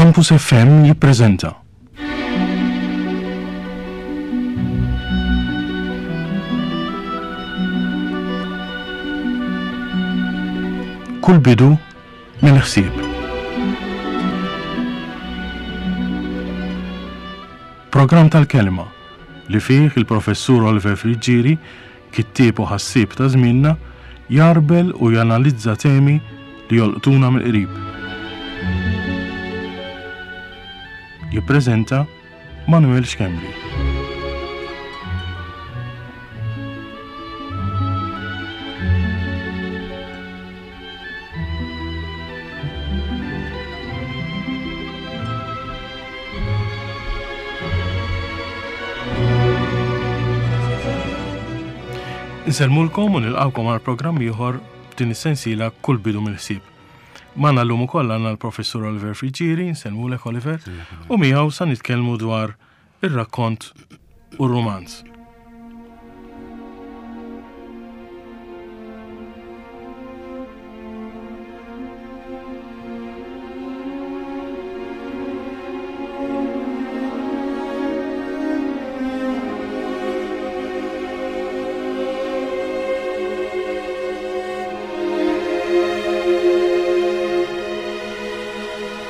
Campus FM jippreżenta. Kull bidu minn ħsieb. Programm tal-kelma li fih il-Professur Oliver Friggieri, kittieb u ħassieb ta' żmienna, jgħarbel u janalizza temi li jolqtuna mill-qrib. Jippreżenta Manuel Schembri. Insellmulkom u nilqawkom għal programm ieħor f'din is-sensiela kull bidu mill-ħsieb. Magħna llum ukoll għandna l-Professur Oliver Friggieri, nsellmulek Oliver, u miegħu sa nitkellmu dwar ir-rakkont u r-rumanz.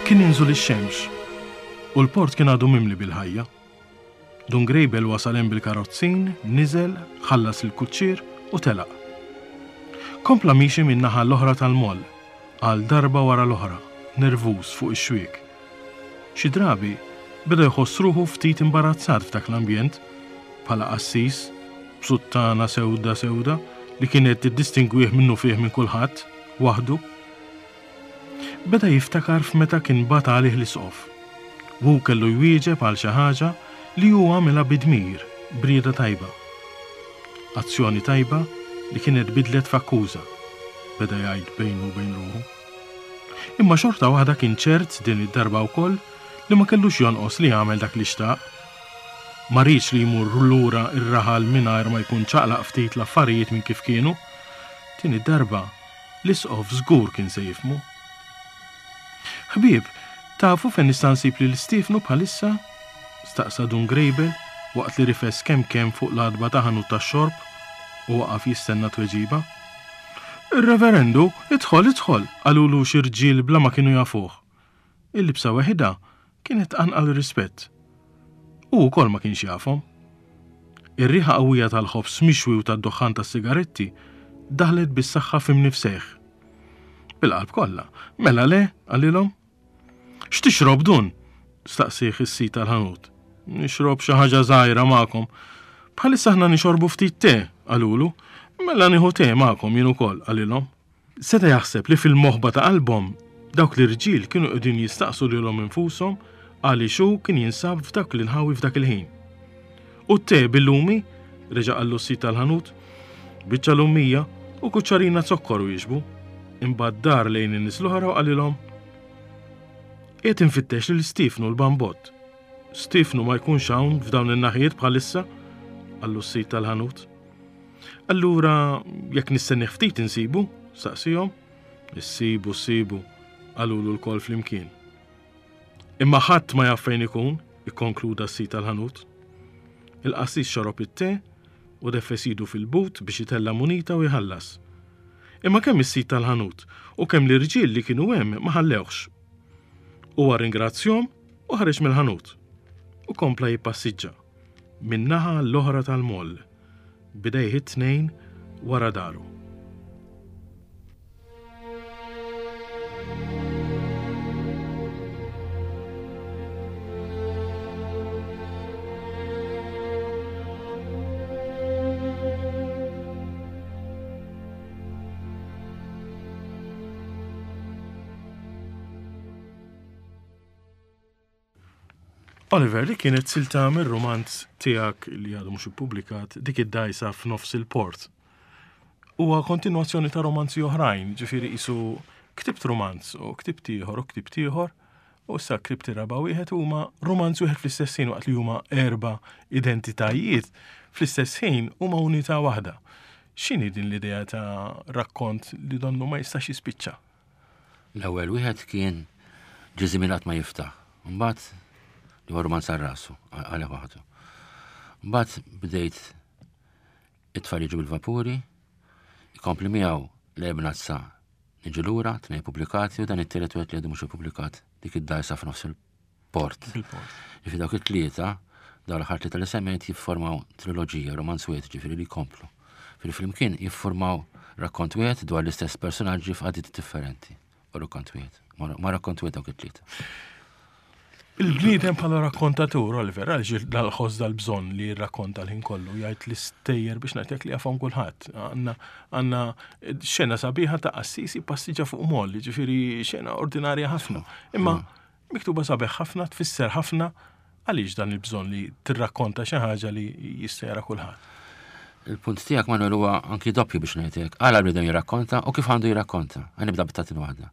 Kien inżul ix-xemx u l-port kien għadu mimli bil-ħajja. Dun Grejbel wasal hemm bil-karozzin, niżel, ħallas lill-kuċċier u telaq. Kompla miexi min-naħa l-oħra tal-moll, għal darba wara l-oħra, nervuż fuq ix-xwiek. Xi drabi beda jħoss ruħu ftit imbarazzat f'dak l-ambjent, bħala qassis, b'suttana sewda sewda li kienet tiddistingwih minnufih minn kulħadd, waħdu. Beda jiftakar f'meta kien bagħat għalih l-isqof. Hu kellu jwieġeb għal xi ħaġa li hu għamilha bi dmir, b'rieda tajba. Azzjoni tajba li kienet bidlet f'akkuża, beda jgħid bejnu u bejn ruħu. Imma xorta waħda kien ċert din id-darba wkoll li ma kellux jonqos li jagħmel dak li xtaq. Ma riedx li jmur lura r-raħal mingħajr ma jkun ċaqlaq ftit l-affarijiet minn kif kienu. Din id-darba L-isqof żgur kien se jifhmu. Ħbieb, tafu fejn nista' nsib lil Stiefnu bħalissa? staqsa Dun Grejbel waqt li rifes kemm kemm fuq l-għatba ta' ħanut tax-xorb u waqaf jistenna tweġiba. Ir-Reverendu, idħol, idħol! qalulu xi rġiel bla ma kienu jafuh. Il-libsa weħidha kienet tqanqal rispett. Hu wkoll ma kienx jafhom. Ir-riħa qawwija tal-ħobż mixwi u tad-duħħan tas-sigaretti daħlet bis-saħħa f'imnifsejh. Bil-qalb kollha, mela le, qalilhom. X'tixrob dun? staqsih is-sid tal-ħanut. Nixrob xi ħaġa żgħira magħkom. Bħalissa aħna nixorbu ftit te, qalulu. Mela nieħu te magħkom jien ukoll, qalilhom. Seta' jaħseb li fil-moħba ta' qalbhom dawk l-irġiel kienu qegħdin jistaqsu lilhom infushom għaliex hu kien jinsab f'dawk l-inħawi f'dak il-ħin. U t-te bil-lumi? reġa' qallu s-sid tal-ħanut. Biċċa lumija u kuċċarina zokkor wieġbu. Imbagħad dar lejn in-nies l-oħra u qalilhom, Qiegħed infittex lil Stiefnu l-Bambott. Stiefnu ma jkunx hawn f'dawn in-naħijiet bħalissa? qallu s-sid tal-ħanut. Allura, jekk nistennih ftit insibu? staqsihom. Issibu, ssibu, qalulu lkoll flimkien. Imma ħadd ma jaf fejn ikun, ikkonkluda s-sid tal-ħanut. Il-qassis xorob it-te u deffes idu fil-but biex itella' munita u jħallas. Imma kemm is-sid tal-ħanut u kemm l-irġiel li kienu hemm ma ħallewhx. Huwa rringrazzjahom u ħareġ mill-ħanut u kompla jippassiġġa min-naħa l-oħra tal-moll. b'idejh it-tnejn wara daru. Oliver, li kienet silta mir-rumanz tiegħek li għadu mhux ippubblikat, dik id-dajsa f'nofs il-port. Huwa kontinwazzjoni ta' romanzi oħrajn, ġifieri qisu ktibt romanz u ktibt ieħor u ktibt ieħor, u issa ktibt ir-raba' wieħed huma romanz wieħed fl-istess ħin waqt li huma erba' identitajiet fl-istess ħin huma unità waħda. X'inhi din l-idea ta' rakkont li donnu ma jistax jispiċċa? L-ewwel wieħed kien Ġiżimin qatt ma jiftaħ. Mbagħad li huwa romanz għal rasu, għalih waħdu. Mbagħad bdejt it-tfal jiġu bil-vapuri, ikompli miegħu l-ebnazza niġu lura, tnej pubblikati u dan it-tielet wieħed li għadu mhux ippubblikat dik id-dajsa f'nofs il-port. Ġifieri dawk it-tlieta, dawn l-aħħar tlieta li semmejt jiffurmaw triloġija, romanz wieħed ġifieri li jkomplu. Ġifieri flimkien jiffurmaw rakkont wieħed dwar l-istess personaġġi f'qagħdiet differenti. U rakkont wieħed. Ma rakkont wieħed dawk it-tlieta. Il-bniedem bħala rakkontatur, Oliver, għaliex dal-ħoss dal-bżonn li jirrakkonta l-ħin kollu, jgħid l-istejjer biex ngħidlek li jafhom kulħadd. Għandna xena sabiħa ta' qassisi passiġa fuq moll, ġifieri xena ordinarja ħafna. Imma miktuba sabiħ ħafna, tfisser ħafna, għaliex dan il-bżonn li tirrakkonta xi ħaġa li jista' jara kulħadd. Il-punt tiegħek Manuel huwa anki doppju biex ngħidlek. Għala l-bniedem jirrakkonta u kif għandu jirrakkonta. Ħa nibda bit-tatin waħda.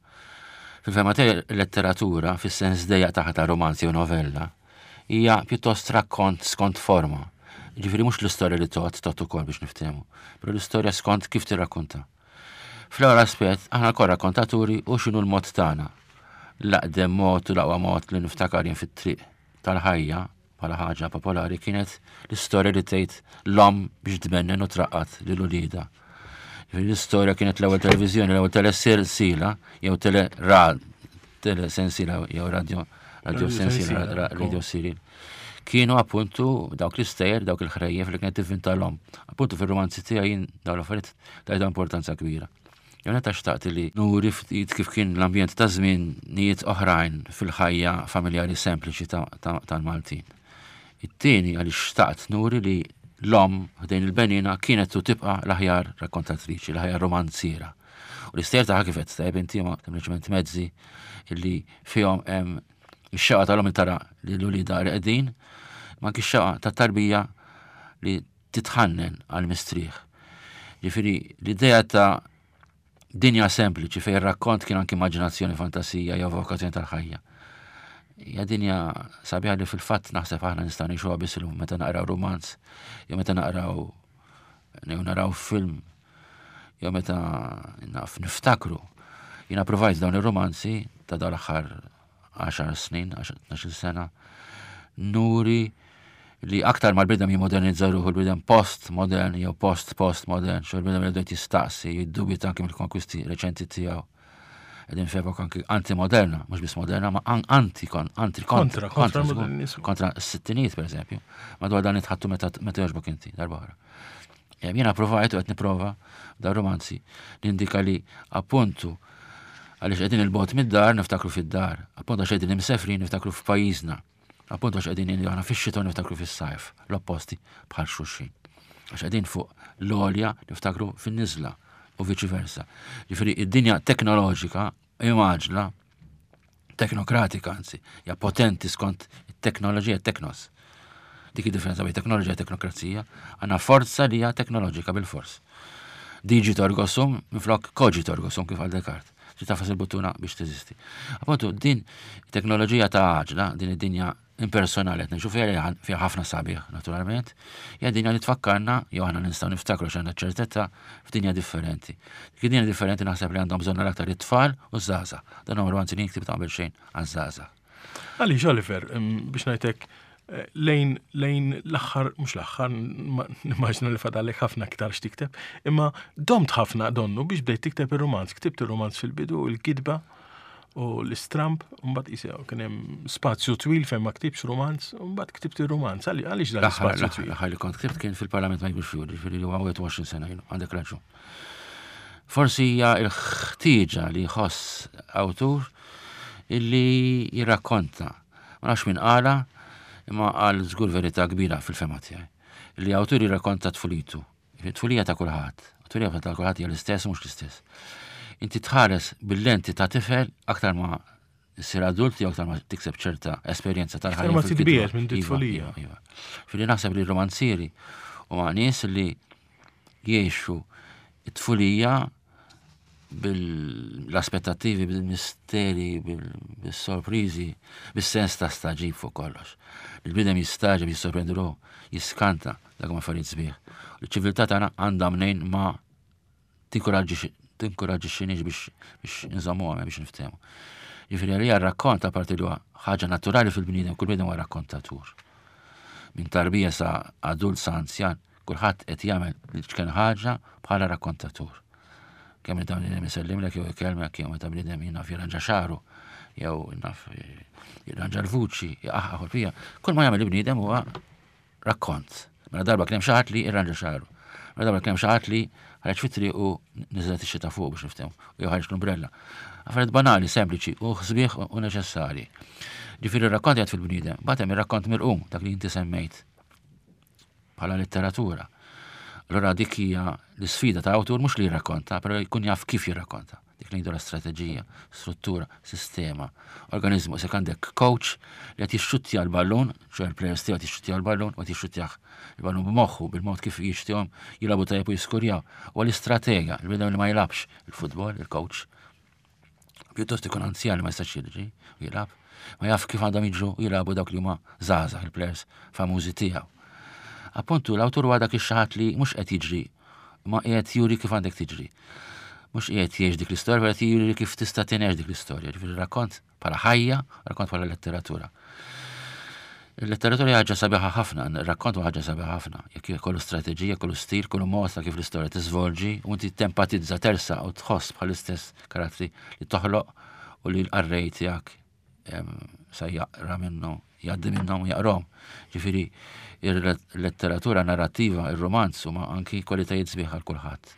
Fil-fehma tiegħi letteratura fis-sens dejjaq tagħha ta' romanzi u novella hija pjuttost rakkont skont forma. Ġifieri mhux l-istorja li tot, tot ukoll biex niftehmu, però l-istorja skont kif tirrakkonta. Fl-ewwel aspett, aħna lkoll rakkontaturi u x'inhu l-mod tagħna. L-aqdem mod u l-aqwa mod li niftakar jien fit-triq tal-ħajja bħala ħaġa popolari kienet l-istorja li tgħid l-omm biex tbennen u traqqat lil uliedha. L-istorja kienet l-ewwel televiżjoni, l-ewwel telesilsila jew tele telesensila jew radio radio sensila, radio serial. Kienu appuntu dawk l-istejjer, dawk il-ħrejjef li kienet tivvinta l-omm. Appuntu fir-romanzi tiegħi jien dawn l-affarijiet tajta importanza kbira. Jew meta xtaqt li nuri ftit kif kien l-ambjent ta' żminijiet oħrajn fil-ħajja familjari sempliċi tal-Maltin. It-tieni għaliex xtaqt nuri li l-omm ħdejn il-benina kienet u tibqa' l-aħjar rakkontatriċi, l-aħjar romanziera. U l-istejjer tagħha kif qed tajjeb inti huma sempliċement mezzi illi fihom hemm ix-xewqa tal-omm li tara lil uliedha reqdin, ma anki x-xewqa tat-tarbija li titħannen għall-mistrieħ. Ġifieri l-idea ta' dinja sempliċi fejn rakkont kien anki immaġinazzjoni, fantasija jew vokazzjoni tal-ħajja. Hija dinja sabiħa li fil-fatt naħseb aħna nistgħu ngħixuha biss illum meta naqraw romanz, jew meta naqraw jew naraw film, jew meta naf niftakru. Jiena provajt dawn ir-romanzi ta' dawn l-aħħar 10 snin, 12 sena, nuri li aktar ma l-bidem jimodernizza ruħu l-bidem post-modern jew post-post-modern, xo l-bidem li qed jistaqsi, jiddubita anki mill-konkwisti reċenti tiegħu. Qegħdin f'epoka anki anti-moderna, mhux biss moderna, ma anti anti kontra kontra kontra s-sittinijiet pereżempju. Madwar dan nitħattu meta meta jogħġbok inti darba oħra. Jiena provajt u qed nipprova da romanzi nindika li appuntu għaliex qegħdin il-bot mid-dar niftakru fid-dar, appuntu għax qegħdin imsefrin niftakru f'pajjiżna, appuntu għax qegħdin aħna fix-xita niftakru fis-sajf, l-opposti bħal xulxin. Għax qegħdin fuq l-għolja niftakru fin-niżla u viċi versa. Ġifieri id-dinja teknoloġika imgħaġla teknokratika anzi, hija potenti skont it-teknoloġija teknos. Dik id-differenza bejn teknoloġija u teknokrazija, għandna forza li hija teknoloġika bil-fors. Digito ergo sum minflok cogito ergo sum kif għal Descartes. Trid tafas il-buttuna biex teżisti. Appuntu, din teknoloġija ta' għaġla, din id-dinja impersonali qed ngħixu fiha li fiha ħafna sabiħ naturalment, hija dinja li tfakkarna jew aħna nistgħu niftakru x'għandna ċertezza f'dinja differenti. Dik id-dinja differenti naħseb li għandhom bżonn l-aktar it-tfal u ż-żgħażagħ. Dan huwa romanzi li jiktib ta' qabel xejn għaż-żgħażagħ. Għaliex Oliver, biex ngħidlek eh, lejn lejn l-aħħar, mhux l-aħħar, nimmaġna li fadalek ħafna aktar x'tikteb, imma domt ħafna donnu biex bdejt tikteb ir-romanz. Ktibt ir-romanz fil-bidu, il-kitba, u l-istramb, mbagħad qisha kien hemm spazju twil fejn ma ktibx rumanz, mbagħad ktibt ir-rumanz. Għaliex dan l-ispazju twil? L-aħħar li kont ktibt kien fil-Parlament ma jkunx juri, ġifieri li huwa 21 sena ilu, għandek raġun. Forsi hija l-ħtieġa li jħoss awtur illi jirrakkonta. Ma nafx min qala, imma qal żgur verità kbira fil-fema tiegħi. Li awtur jirrakkonta tfulitu. It-tfulija ta' kulħadd. It-tfulija ta' kulħadd hija l-istess u mhux l-istess. Inti tħares bil-lenti ta' tifel aktar ma ssir adult jew aktar ma tikseb ċerta esperjenza tal-ħajja. Aktar ma titbiegħed minn iva, tfulija. Iva, iva. Fili naħseb li romanzieri huma nies li jgħixu it-tfulija bil-aspettattivi, bil-misteri, bil-sorprizi, bil-sens ta' staġib fuq kollox. Il-bidem jistaġib, jissorprendi ruħu, jiskanta dak ma affarijiet sbieħ. Il-ċiviltà tagħna għandha mnejn ma tinkoraġġixxinix biex biex nżommuha biex niftehmu. Ġifieri għalija r-rakkont apparti li huwa ħaġa naturali fil-bniedem, kull bniedem huwa rakkontatur. Minn tarbija sa adult sa anzjan, kulħadd qed jagħmel l-ċken ħaġa bħala rakkontatur. Kemm meta bniedem isellimlek jew ikellmek jew meta bniedem jien naf jirranġa xagħru jew naf jirranġa l-vuċi, jaqaħ u fija. Kull ma jagħmel il-bniedem huwa rakkont. Mela darba kien hemm xi ħadd li irranġa xagħru. Mela darba kien hemm xi ħadd li ħareġ fit-triq u niżlet ix-xita fuq biex niftehmu, jew ħareġ l-umbrella. Affarijiet banali, sempliċi u sbieħ u neċessarji. Ġifieri r-rakkont jgħid fil-bniedem, bagħad hemm ir-rakkont mirqum dak li inti semmejt bħala letteratura. Allora dik hija l-isfida ta' awtur mhux li jirrakkonta, però jkun jaf kif jirrakkonta. Dik li ngħidu strateġija, struttura, sistema, organizmu. Se għandek coach li qed jixxuttja l-ballun, ċoè l-players tiegħu qed jixxuttja l-ballun u qed jixxuttjah il-ballun b'moħħu bil-mod kif jixtihom jilagħbu tajjeb u jiskurjaw. U l-istratega, il-bniedem li ma jilgħabx il-futbol, il-coach, pjuttost ikun anzjan li ma jistax jiġri u jilgħab, ma jaf kif għandhom jiġru u jilagħbu dawk li huma żgħażagħ il-players famużi tiegħu. Appuntu l-awtur huwa dak ix-xi li mhux qed jiġri ma qiegħed juri kif għandek tiġri. Mhux qiegħed jgħix dik l-istorja, qed juri kif tista' tingħex dik l-istorja. Ġifieri rakkont bħala ħajja, rakkont bħala letteratura. Il-letteratura hija ħaġa sabiħa ħafna, ir-rakkont huwa ħaġa sabiħa ħafna. Jekk kollu strateġija, kollu stil, kollu mod ta' kif l-istorja tiżvolġi u inti tempatizza tersa u tħoss bħal-istess karattri li toħloq u li l-qarrej tiegħek sa jaqra minnu, jgħaddi minnhom u jaqrom. Ġifieri il-letteratura narrattiva, il-romanz huma anki kwalitajiet sbieħ għal kulħadd.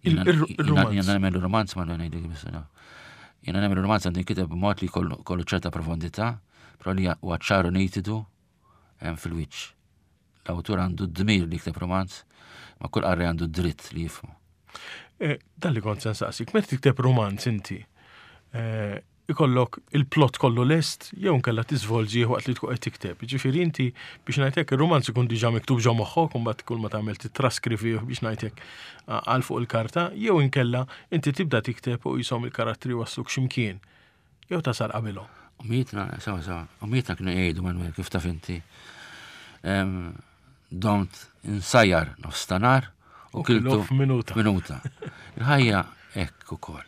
Jiena nemmen il-romanz ma ngħidlek biss. Jiena nemmen il-romanz għandu jinkiteb b'mod li kollu ċerta profondità, però li huwa ċaru nitidu hemm fil-wiċċ. L-awtur għandu d-dmir li jikteb romanz, ma kull qarrej għandu dritt li jifhmu. Dan li kont se nsaqsik, meta tikteb romanz inti, ikollok il-plot kollu lest jew nkella tiżvolġi waqt li tkun qed tikteb. Ġifieri inti biex ngħidlek ir-romanz ikun diġà miktub ġo moħħok u mbagħad kull ma tagħmel titraskrivih biex ngħidlek għal fuq il-karta, jew inkella inti tibda tikteb u jisom il-karattri wasluk x'imkien. Jew tasal qabilhom. Umietna, sawa sawa, umietna kienu jgħidu Manuel kif taf inti. Domt insajjar nofs ta' nar u kiltu f'minuta. Minuta. Il-ħajja hekk ukoll.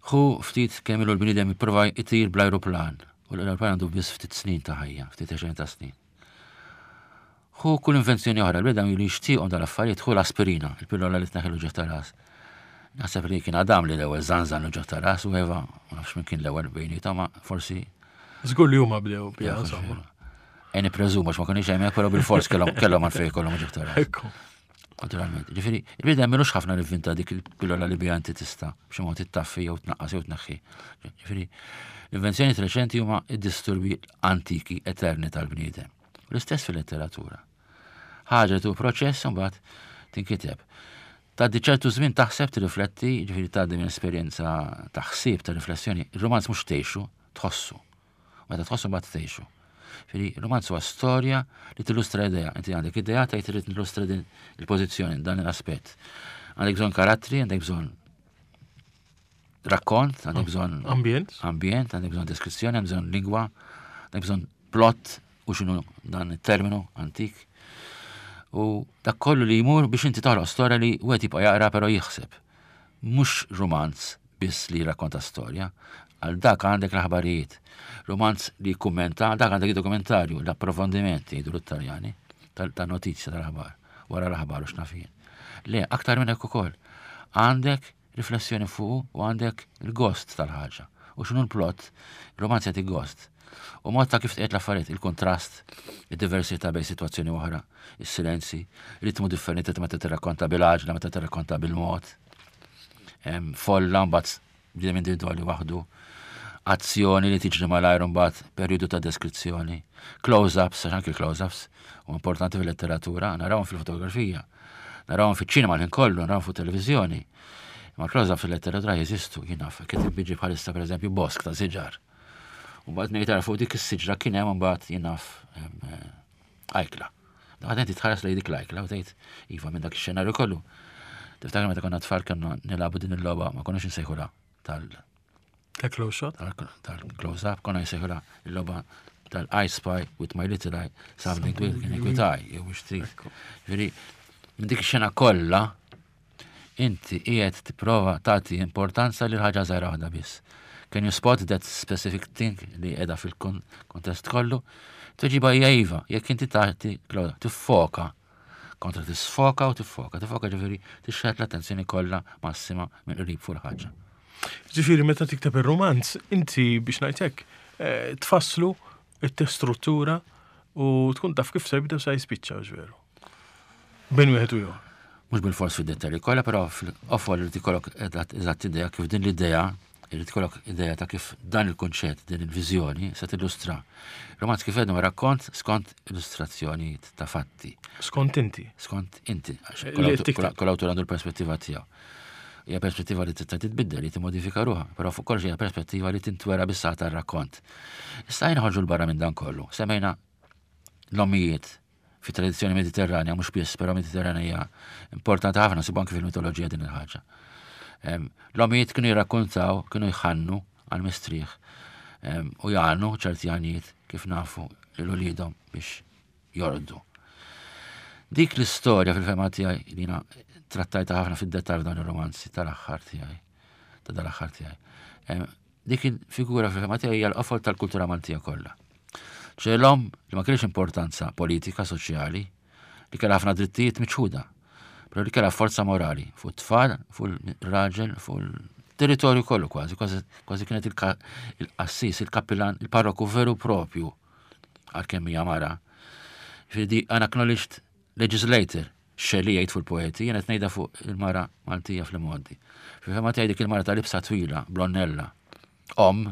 Hu ftit kemm ilu l-bniedem jipprova jtir bl-ajruplan u l-ajruplan għandu biss ftit snin ta' ħajja, ftit għexren ta' snin. Hu kull invenzjoni oħra, l-bniedem li jixtieqhom dal-affarijiet, hu l-aspirina, il-pillola li tneħħi l-uġigħ ta' ras. Naħseb li kien Adam li l-ewwel żanżan l-uġigħ ta' ras u Eva, ma nafx min kien l-ewwel bejniethom, ma forsi. Żgur li huma bdew biha, insomma. E nippreżumu għax ma konniex hemmhekk, però bil-fors kellhom għalfejn kellhom uġigħ ta' ras. Ekku. Naturalment. Ġifieri, il-bniedem milux ħafna li vvinta dik il-pillola li biha inti tista' b'xi mod ittaffi jew tnaqqas jew tneħħi. Ġifieri, l-invenzjoni reċenti huma id-disturbi antiki eterni tal-bniedem. L-istess fil-letteratura. Ħaġa tu proċess imbagħad tinkiteb. Tgħaddi ċertu żmien taħseb tirrifletti, ġifieri tgħaddi minn esperjenza ta' ħsieb ta' riflessjoni. Il-romanz mhux tgħixu, tħossu. Meta tħossu mbagħad tgħixu. Ġifieri, romanz huwa storja li tillustra idea. Inti għandek idea tgħid irid nillustra din il-pożizzjoni, dan l-aspett. Għandek bżonn karattri, għandek bżonn rakkont, għandek bżonn ambjent, ambjent, għandek bżonn deskrizzjoni, għandek bżonn lingwa, għandek bżonn plot u x'inhu dan it-terminu antik. U dak kollu li jmur biex inti toħloq storja li wieħed jibqa' jaqra però jħseb. Mhux romanz biss li jirrakkonta storja, għal dak għandek l-aħbarijiet. Romanz li jikkummenta, dak għandek id-dokumentarju, l-approfondiment jgħidu l-Italjani, tal-notizja tal-aħbar, wara l-aħbar u x'naf jien. Le, aktar minn hekk ukoll. Għandek riflessjoni fuq u għandek il-gost tal-ħaġa. U x'inhu l-plot, romanz jagħti gost. U mod ta' kif tqiegħed l-affarijiet, il-kontrast, id-diversità bejn sitwazzjoni oħra, is-silenzi, ritmu differenti ta' meta tirrakkonta bil-għaġla, meta tirrakkonta bil-mod. Folla mbagħad bniedem individwali waħdu, azzjoni li tiġri malajr mbagħad perjodu ta' deskrizzjoni, close-ups, għax anki close-ups huma importanti fil-letteratura, narawhom fil-fotografija, narawhom fiċ-ċinema l-ħin kollu, narawhom fuq televiżjoni. Ma close-ups fil-letteratura jeżistu, jien naf, kif biġi bħalissa pereżempju bosk ta' siġar. U mbagħad ngħid fuq dik is-siġra kien hemm mbagħad jien naf ajkla. Għad inti tħares lejn dik l-ajkla u tgħid iva minn dak ix-xenarju kollu. Tiftakar meta konna tfal kellna nilagħbu din il-logħba ma konniex insejħulha tal Ta' close shot? Tal-close up, konna nsejħulha il-logħba tal-I spy with my little eye, something with eye, jew biex trid. Ġifieri, minn dik ix-xena kollha inti qiegħed tipprova tagħti importanza lil ħaġa żgħira waħda biss. Can you spot that specific thing li qiegħda fil-kontest kollu? Tweġiba hija iva, jekk inti tagħti tiffoka kontra tisfoka u tiffoka. Tiffoka ġifieri tixħet l-attenzjoni kollha massima minn qrib fuq il-ħaġa. Ġifieri meta tikteb ir-rumanz, inti biex ngħidlek eh, tfasslu it-struttura u tkun taf kif se jibda sa jispiċċa veru. Bejn wieħed u ieħor. Mhux bil-fors fid-dettalji kollha, però fil-qofol irid ikollok eżatt idea kif din l-idea, irid ikollok idea ta' kif dan il-kunċett, din il-viżjoni se tillustra. Romanz kif għedna rakkont skont illustrazzjonijiet ta' fatti. Skont inti. Skont inti. Kull awtur għandu l-perspettiva tiegħu. Hija perspettiva li tista' titbiddel, li timmodifika ruħha, però fuq kollox hija perspettiva li tintwera bis tar-rakkont. Issa jien ħorġu l-barra minn dan kollu. Semmejna l-ommijiet fi tradizzjoni mediterranja, mhux biss, però mediterranja hija importanti ħafna, sibu anki fil-mitoloġija din il-ħaġa. L-ommijiet kienu jirrakkontaw, kienu jħannu għal-mistrieħ u jgħannu ċerti għanijiet kif nafu lil uliedhom biex jorqdu. Dik l-istorja fil-fema tiegħi li jiena trattajta ħafna fid-dettal f'dan ir-romanzi tal-aħħar tiegħi, ta' dal-aħħar tiegħi. Dik il-figura fil-fema tiegħi hija l-qofol tal-kultura Maltija kollha. ċe l-om li ma kienx importanza politika, soċjali, li kellha ħafna drittijiet miċħuda, però li kellha forza morali fuq it-tfal, fuq il-raġel, fuq il-territorju kollu kważi, kważi kienet il-qassis, il-kappilan, il-parroku veru propju għalkemm hija mara. Ġifieri unacknowledged legislator, Shelley jgħid fuq il-poeti, jien qed ngħidha fuq il-mara Maltija fl-imgħoddi. Fil-fema tiegħi dik il-mara ta' libsa twila, blonnella, om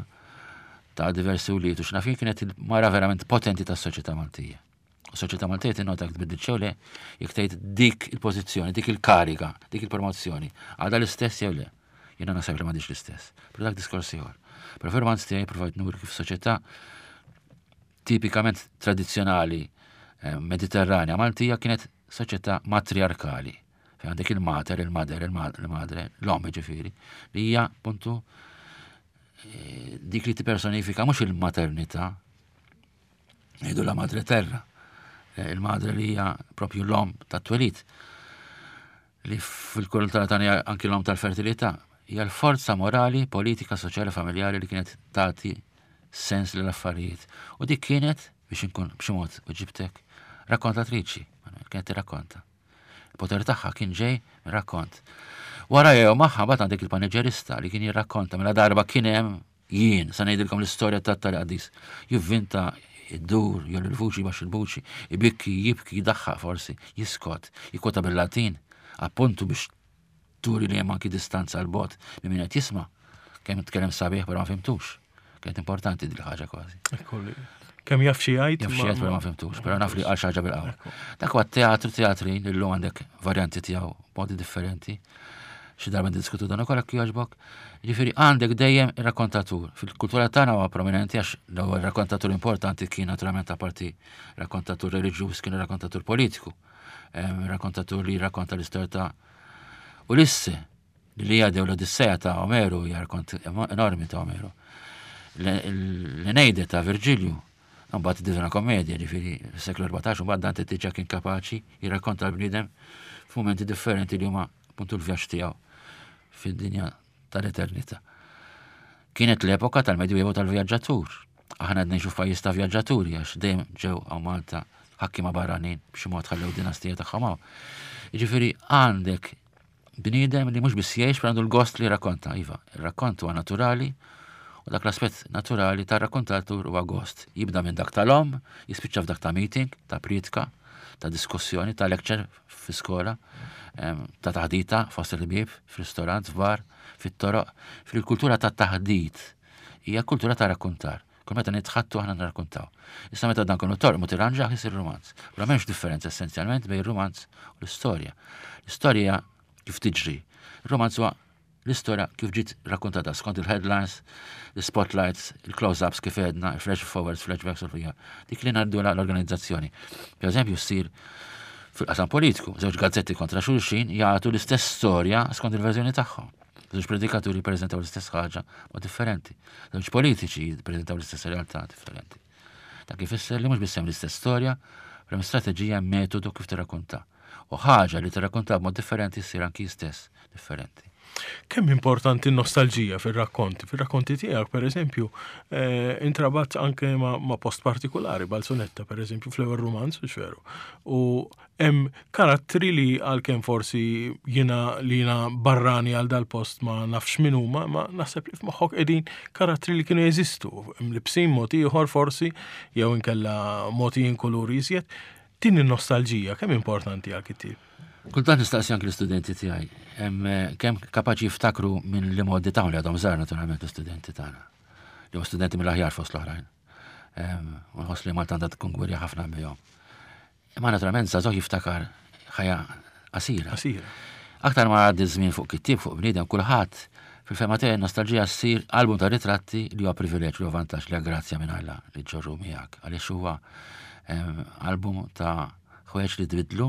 ta' diversi wlied u x'naf jien kienet il-mara verament potenti tas-soċjetà Maltija. U soċjetà Maltija tinnota jekk tbiddil xew le, jekk tgħid dik il-pożizzjoni, dik il-kariga, dik il-promozzjoni, għadha l-istess jew le. Jiena naħseb li m'għadix l-istess. Però dak diskors ieħor. Però fil-romanz tiegħi provajt nuri kif soċjetà tipikament tradizzjonali eh, mediterranja Maltija kienet soċjetà matriarkali. Fejn għandek il-mater, il-mader, il-madre, l-om ġifieri, li hija puntu eh, dik li tippersonifika mhux il-maternità, Ngħidu la madre terra, eh, il-madre li hija propju l-om tat-twelid li fil-kultura tagħna anki l-om tal-fertilità, hija l-forza morali, politika, soċjali, familjari li kienet tagħti sens lill affarijiet U dik kienet, biex inkun b'xi mod ġibtek, rakkontatriċi, kienet tirrakkonta. Il-poter tagħha kien ġej rakkont. Wara jew magħha mbagħad għandek il-paneġerista li kien jirrakkonta mela darba kien hemm Jien, sa ngħidilkom l-istorja tat-tali qaddis. Jivvinta, iddur, jolli l-vuċi, jbaxxi l-vuċi, ibikki, jibki, jidaħħaq forsi, jiskot, jikkwota bil-Latin, appuntu biex turi li hemm anki distanza 'l bogħod minn min qed jisma'. Kemm tkellem sabiħ però ma fimtux. Kienet importanti din il-ħaġa kważi. Kemm jaf xi jgħid. Jaf xi jgħid però ma fimtux, però naf li qal xi ħaġa bil-qawwa. Dak huwa teatru teatrin illum għandek varjanti tiegħu b'modi differenti. Xi darba ndiskutu dan ukoll jekk jogħġbok. Ġifieri għandek dejjem ir-rakkontatur. Fil-kultura tagħna huwa prominenti għax l-ewwel rakkontatur importanti kien naturalment apparti rakkontatur reliġjuż kien rakkontatur politiku. Rakkontatur li jirrakkonta l-istorja ta' Ulisse, l-Iliade u l-Odissea ta' Omeru hija rakkont enormi ta' Omeru. L-Eneide ta' Virġilju, mbagħad id-Divina Kommedja, ġifieri fis-seklu 14, mbagħad Dante diġà kien kapaċi jirrakkonta l-bniedem f'mumenti differenti li huma appuntu l-vjaġġ tiegħu fid-dinja tal-eternità. Kienet l-epoka tal-Medjuevo tal-vjaġġatur. Aħna qed ngħixu f'pajjiż ta' vjaġġaturi għax dejjem ġew hawn Malta ħakkiema barranin b'xi mod ħallew dinastija tagħhom hawn. Jiġifieri għandek bniedem li mhux biss jgħix għandu l-gost li jirrakkonta. Iva, ir-rakkont huwa naturali u dak l-aspett naturali tar-rakkontatur huwa gost. Jibda minn dak tal-om, jispiċċa f'dak ta' meeting, ta' prietka, ta' diskussjoni, ta' lecture fi skola, ta' taħdita fost il-ħbieb, f'ristorant, f'bar, fit-toroq, fil-kultura ta' taħdit hija kultura ta' rakkontar. Kull meta nitħattu aħna nirrakkontaw. Issa meta dan kollu torqmu tirranġah isir rumanz. Però m'hemmx differenza essenzjalment bejn rumanz u l-istorja. L-istorja kif tiġri. Il-romanz huwa l-istorja kif ġiet rakkontata skont il-headlines, il-spotlights, il-close-ups kif għedna, il-flash forwards, flashbacks u l Dik li ngħaddu l-organizzazzjoni. Per eżempju, ssir fil-qasam politiku, żewġ gazzetti kontra xulxin jagħtu l-istess storja skont il-verżjoni tagħhom. Żewġ predikaturi jippreżentaw l-istess ħaġa ma differenti. Żewġ politiċi jippreżentaw l-istess realtà differenti. Dak ifisser li mhux biss hemm l-istess storja, però hemm strateġija, metodu kif tirrakkonta. U ħaġa li tirrakkonta b'mod differenti ssir anki stess differenti. Kemm importanti n-nostalġija fir-rakkonti? Fir-rakkonti tiegħek, per eżempju, eh, intrabat anke ma, ma post partikolari, Balzunetta, per eżempju, fl-ewwel romanz, veru. U hemm karattri li għalkemm forsi jiena li jiena barrani għal dal-post ma nafx min huma, ma naħseb li f'moħħok qegħdin karattri li kienu jeżistu, mlibsin mod ieħor forsi, jew inkella mogħtijin kulur iżjed. Din in-nostalġija kemm importanti għal kittieb? Kultant nistaqsi anki l-istudenti tiegħi, eh, kemm kapaċi jiftakru minn li modi tagħhom li għadhom żgħar naturalment l-istudenti tagħna. Li studenti mill-aħjar fost l-oħrajn. U nħoss li Malta għandha tkun gwirja ħafna bihom. Imma naturalment żagħżugħ jiftakar ħajja qasira. Qasira. Aktar ma għaddi żmien fuq kittieb fuq bniedem kulħadd fil-fema tiegħi nostalġija ssir album ta' ritratti li huwa privileġġ li huwa vantaġġ li grazzja minn Alla li ġorru miegħek għaliex huwa album ta' ħwejjeġ li tbidlu,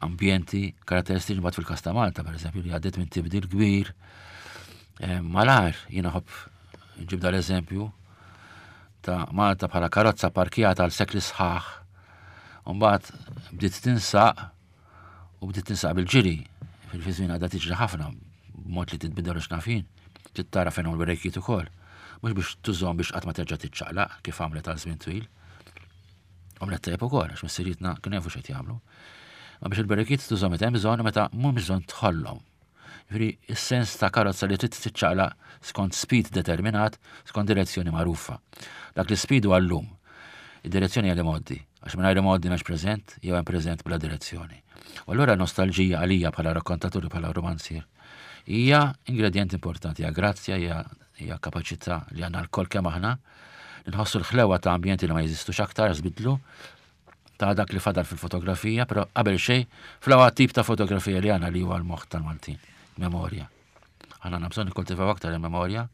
ambjenti, karatteristiċi mbagħad fil-każ ta' Malta pereżempju li għaddiet minn tibdil kbir. Malar jiena ħobb nġib dal-eżempju ta' Malta bħala karozza parkjata għal sekli sħaħ. Mbagħad bdiet tinsaq u bdiet tinsaq bil-ġiri. Fil-żmien għadha tiġri ħafna b'mod li titbidel u xnafin. Trid tara fejn huma l-brejkiet ukoll. Mhux biex tużhom biex qatt ma terġa' tiċċaqlaq kif għamlet għal żmien twil. Għamlet tajjeb ukoll għax missirietna kienu jafu x'qed jagħmlu. Ma biex il-brejkiet tużhom meta hemm bżonn u meta mhumiex bżonn tħollhom. Jiġifieri s-sens ta' karozza li trid tiċċaqlaq skont speed determinat, skont direzzjoni magħrufa. Dak li speed huwa llum. Id-direzzjoni hija l-imgħoddi, għax mingħajr imgħoddi m'hemmx preżent jew hemm preżent bla direzzjoni. U allura nostalġija għalija bħala rakkontatur bħala romanzier hija ingredjent importanti, hija grazzja, hija hija kapaċità li għandna lkoll kemm aħna nħossu l-ħlewa ta' ambjenti li ma jeżistux aktar, żbidlu, ta' dak li fadal fil-fotografija, però qabel xejn fl-ewwel tip ta' fotografija li għandna li huwa l-moħħ tal-Maltin, memorja. Aħna għandna bżonn nikkultivaw aktar il-memorja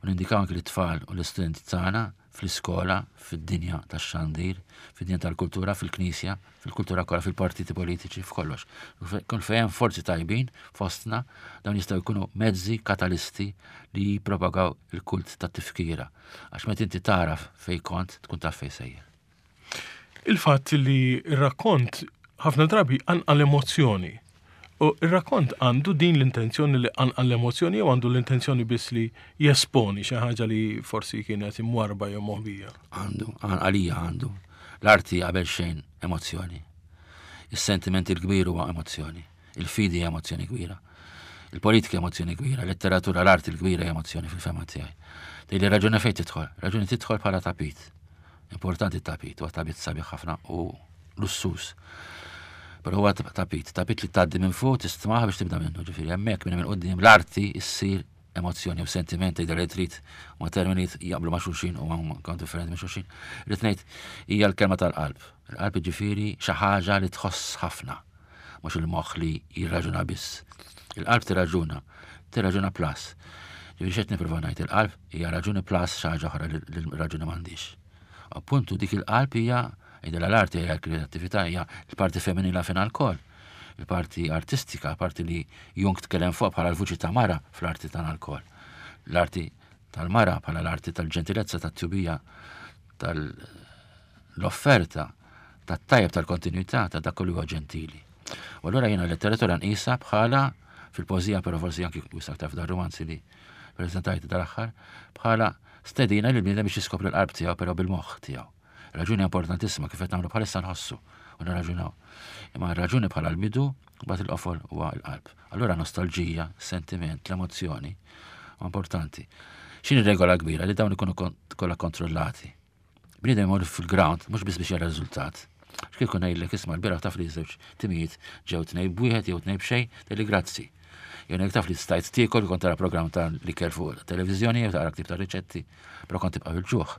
u nindikaw anki lit-tfal u l-istudenti tagħna fl-iskola, fid-dinja tax-xandir, fid-dinja tal-kultura, fil-knisja, fil-kultura kollha, fil-partiti politiċi, f'kollox. Kull fejn hemm forzi tajbin fostna, dawn jistgħu jkunu mezzi katalisti li jippropagaw il-kult tat-tifkira. Għax meta inti tagħraf fejn kont, tkun taf fejn sejjer. Il-fatt li r-rakkont ħafna drabi jqanqal emozzjoni. U r-rakkont għandu din l-intenzjoni li qanqal l-emozzjoni jew għandu l-intenzjoni biss li jesponi xi ħaġa li forsi kienet imwarba jew moħbija? Għandu, għalija għandu. L-arti qabel xejn emozzjoni. Is-sentiment il-kbir huwa emozzjoni. Il-fidi hija emozzjoni kbira. Il-politika emozzjoni kbira, letteratura, l-arti l-kbira hija emozzjoni fil-fema tiegħi. Tgħidli raġuni fejn tidħol? Raġuni tidħol bħala tapit. Importanti t-tapit, huwa tapit sabiħ ħafna u lussus. Però huwa tapit, tapit li tgħaddi minn fuq tistmaħ biex tibda minnu, ġifieri hemmhekk minn hemm quddiem l-arti ssir emozzjoni u sentiment tgħidha li trid ma termini jaqblu ma' xulxin u huma kont differenti minn xulxin. Rrid ngħid hija l-kelma tal-qalb. Il-qalb ġifieri xi ħaġa li tħoss ħafna, mhux il-moħħ li jirraġuna biss. Il-qalb tirraġuna, tirraġuna plus. Ġifieri x'qed nipprova ngħid il-qalb hija raġuni plus xi ħaġa oħra li l-raġuni m'għandix. Appuntu dik il-qalb hija idela l-arti hija l-kreattività hija l-parti femminila fina lkoll. Il-parti artistika, parti li Jung tkellem fuq bħala l-vuċi ta' mara fl-arti tagħna lkoll. L-arti tal-mara bħala l-arti tal-ġentilezza, tat-tjubija, tal-offerta, tat-tajjeb tal-kontinwità ta' dak li huwa ġentili. U allura jiena l-letteratura nqisha bħala fil-poeżija però forsi anki wisq aktar f'dan romanzi li preżentajt dal-aħħar bħala stedina lil bniedem biex jiskopri l-qalb tiegħu però bil-moħħ tiegħu. Raġuni importantissima kif qed nagħmlu bħalissa nħossu u nirraġunaw. Imma r-raġuni bħala l-bidu mbagħad il-qofol huwa l-qalb. Allura nostalġija, sentiment, l-emozzjoni importanti. X'inhi regola kbira li dawn ikunu kollha kontrollati. Bniedem imur fil-ground mhux biss biex jara riżultat. X'kieku ngħidlek isma' l-bieraħ taf li żewġ timijiet ġew tnej b'wieħed jew tnej b'xejn, tgħidli grazzi. Jew ngħidlek taf li stajt tiekol kont tara programm ta' l-ikel fuq televiżjoni jew taqra ktib ta' riċetti, però kont tibqa' bil-ġuħ.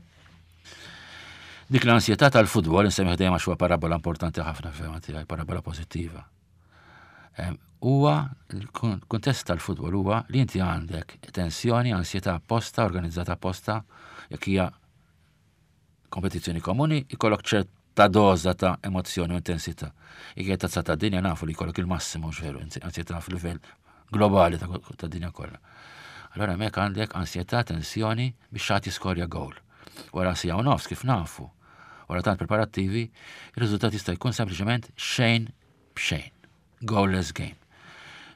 Dik l-ansjetà tal-futbol insemmih dejjem għax huwa parabola importanti ħafna f'fehma tiegħi, parabola pożittiva. Huwa l-kuntest tal-futbol huwa li inti għandek tensjoni, ansjetà apposta, organizzata apposta, jekk hija kompetizzjoni komuni, ikollok ċerta doża ta' emozzjoni u intensità. Jekk hija tazza ta' dinja nafu li jkollok il-massimu veru, ansjetà f'livell globali ta' dinja kollha. Allora hemmhekk għandek ansjetà, tensjoni biex xi ħadd jiskorja gowl. Wara siegħa u nofs kif nafu, wara tant preparattivi, ir-riżultat jista' jkun sempliċement xejn b'xejn. Goalless game.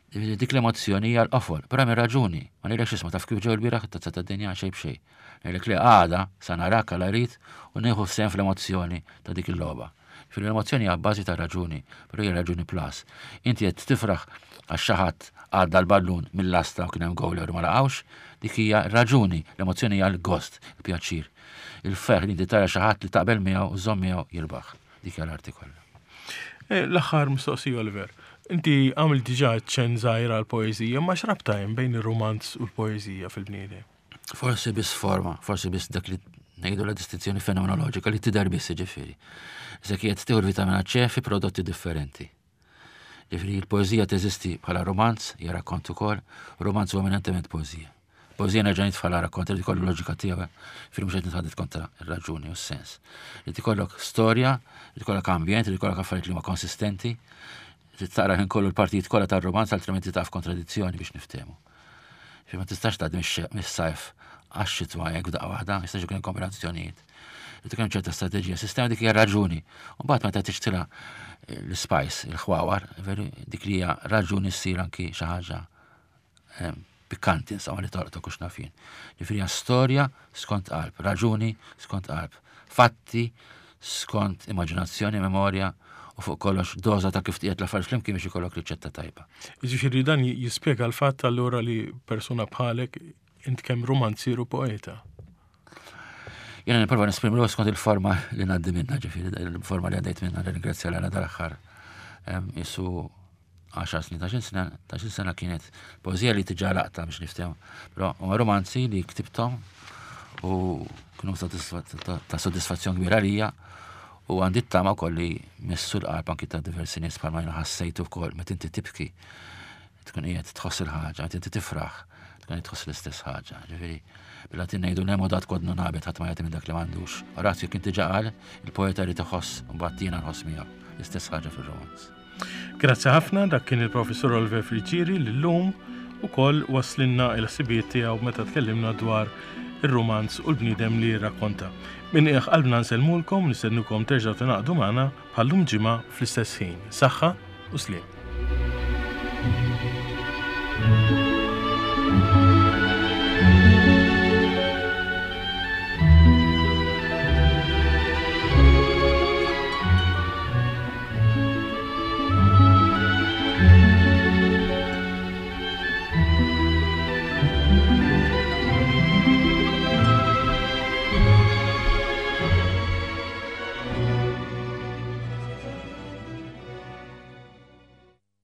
Dik l-emozzjoni hija l-qofol, però hemm raġuni. Ma ngħidlekx isma' taf kif ġew il-bieraħ it-tazza tad-dinja xejn b'xejn. Ngħidlek li għada sa narak għal rrid u nieħu sehem fl-emozzjoni ta' dik il-logħba. Ġifieri l-emozzjoni hija bażi ta' raġuni, però hija raġuni plus. Inti qed tifraħ għax xi ħadd għadda l-ballun mill-lasta u kien hemm goal u ma laqgħux, dik hija raġuni, l-emozzjoni hija l-gost, il-pjaċir. Il-ferħ li inti tara xi ħadd li taqbel miegħu u żomm miegħu jirbaħ. Dik hija l-arti kollha. Eh, l-aħħar mistoqsija Oliver. Inti għamil diġà ċen żgħira għall-poeżija, ma x'rabta hemm bejn ir-rumanz u l-poeżija fil-bniedem? Forsi biss forma, forsi biss dak li ngħidu la distinzjoni fenomenoloġika li tidher biss ġifieri. Żekijiet tieħu l-vitamina C fi prodotti differenti. Ġifieri l-poeżija teżisti bħala romanz, hija rakkont ukoll, romanz huwa eminentement poeżija. Poeżija nerġa' nitfala rakkont li kollu loġika tiegħu, ġifieri mhux qed nitħadded kontra r-raġuni u s-sens. Li tikollok storja, li tikollok ambjent, li tikollok affarijiet li huma konsistenti, li taqra ħin kollu l-partijiet kollha tar-romanz altrimenti taf kontradizzjoni biex niftehmu. Ġifieri ma tistax tgħaddi mis-sajf għax-xitwa hekk f'daqqa waħda, jistax ikun kombinazzjonijiet. Li tkun ċerta strateġija, sistema dik hija raġuni. U mbagħad meta tixtila eh, l-spice, il-ħwawar, veru dik li hija raġuni ssir anki xi ħaġa eh, pikkanti insomma li torqtok u xnafin. Ġifieri hija storja skont qalb, raġuni skont qalb, fatti skont immaġinazzjoni, memorja u fuq kollox doża ta' kif tqiegħed l-affarijiet flimkien biex ikollok riċetta tajba. Jiġifieri dan jispjega l-fatt allura li persuna bħalek int kemm romanzier u poeta. Jiena nipprova nesprimi ruħi skont il-forma li ngħaddi minna, ġifieri il-forma li għaddejt minna ringrazzja l dal-aħħar isu 10 snin, ta' sena, ta' sena kienet poezija li tiġa laqta biex niftehmu. Però huma romanzi li ktibthom u kienu ta' soddisfazzjon kbira għalija u għandi t-tama wkoll li missu l-qalb anki ta' diversi nies bħalma jiena ħassejtu wkoll meta inti tibki tkun qiegħed tħoss il-ħaġa, meta inti tifraħ tkun qed tħoss l-istess ħaġa. Ġifieri, bil-Latin ngħidu nemo dat quod non habet ħadd ma jagħti minn dak li m'għandux. Orazio kien diġà qal il-poeta jrid iħoss u mbagħad jiena nħoss miegħu l-istess ħaġa fir-romanz. Grazzi ħafna, dak kien il-Professur Oliver Friggieri li llum ukoll waslinna il-ħsibijiet tiegħu meta tkellimna dwar ir-rumanz u l-bniedem li jirrakkonta. Minn qiegħ qalbna nsellmulkom, nistennukom terġgħu tingħaqdu magħna bħal-lum ġimgħa fl-istess ħin. Saħħa u sliem.